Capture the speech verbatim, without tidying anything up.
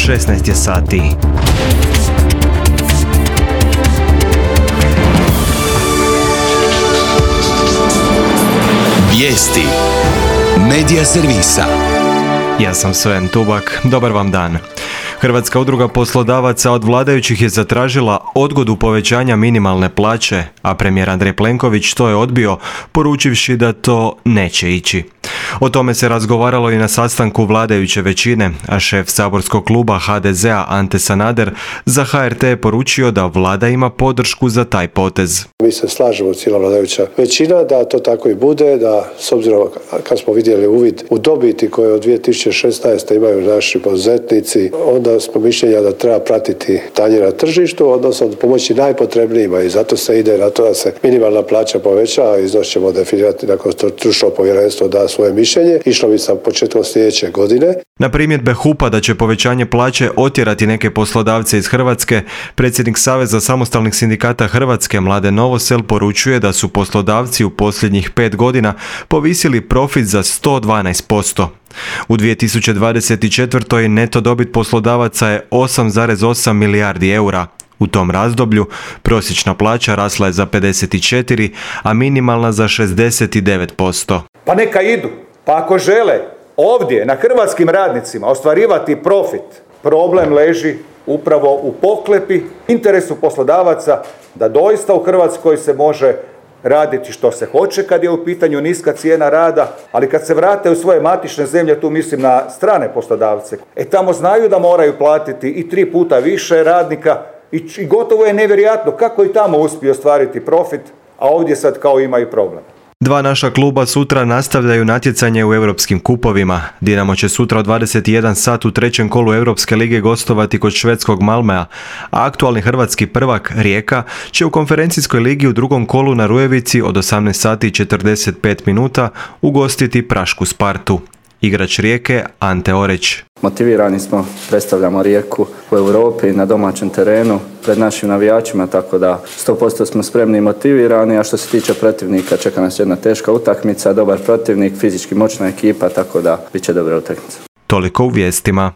šesnaest je sati. Vijesti Medija servisa. Ja sam Sven Tubak, dobar vam dan. Hrvatska udruga poslodavaca od vladajućih je zatražila odgodu povećanja minimalne plaće, a premijer Andrej Plenković to je odbio, poručivši da to neće ići. O tome se razgovaralo i na sastanku vladajuće većine, a šef saborskog kluba ha de zea Ante Sanader za ha er te je poručio da vlada ima podršku za taj potez. Mi se slažemo, cijela vladajuća većina, da to tako i bude, da s obzirom kad smo vidjeli uvid u dobiti koje od dvije tisuće šesnaeste imaju naši poduzetnici, onda smo mišljenja da treba pratiti stanje na tržištu, odnosno pomoći najpotrebnijima, i zato se ide na to da se minimalna plaća poveća, a iznos ćemo definirati nakon što stručno povjerenstvo da svoje mišljenje. Išlo bi sa početkom sljedeće godine. Na primjedbe hupa da će povećanje plaće otjerati neke poslodavce iz Hrvatske, predsjednik Saveza samostalnih sindikata Hrvatske Mladen Novosel poručuje da su poslodavci u posljednjih pet godina povisili profit za sto dvanaest posto. U dvije tisuće dvadeset četvrtoj neto dobit poslodavaca je osam zarez osam milijardi eura. U tom razdoblju prosječna plaća rasla je za pedeset četiri, a minimalna za šezdeset devet posto. Pa neka idu. Pa ako žele ovdje na hrvatskim radnicima ostvarivati profit, problem leži upravo u pohlepi, interesu poslodavaca da doista u Hrvatskoj se može raditi što se hoće kad je u pitanju niska cijena rada, ali kad se vrate u svoje matične zemlje, tu mislim na strane poslodavce, e tamo znaju da moraju platiti i tri puta više radnika i, i gotovo je nevjerojatno kako i tamo uspiju ostvariti profit, a ovdje sad kao imaju problem. Dva naša kluba sutra nastavljaju natjecanje u europskim kupovima. Dinamo će sutra u dvadeset jedan sat u trećem kolu Europske lige gostovati kod švedskog Malmea, a aktualni hrvatski prvak Rijeka će u konferencijskoj ligi u drugom kolu na Rujevici od osamnaest sati i četrdeset pet minuta ugostiti prašku Spartu. Igrač Rijeke Ante Oreć. Motivirani smo, predstavljamo Rijeku u Europi na domaćem terenu pred našim navijačima, tako da sto posto smo spremni i motivirani, a što se tiče protivnika čeka nas jedna teška utakmica, dobar protivnik, fizički moćna ekipa, tako da bit će dobra utakmica. Toliko u vijestima.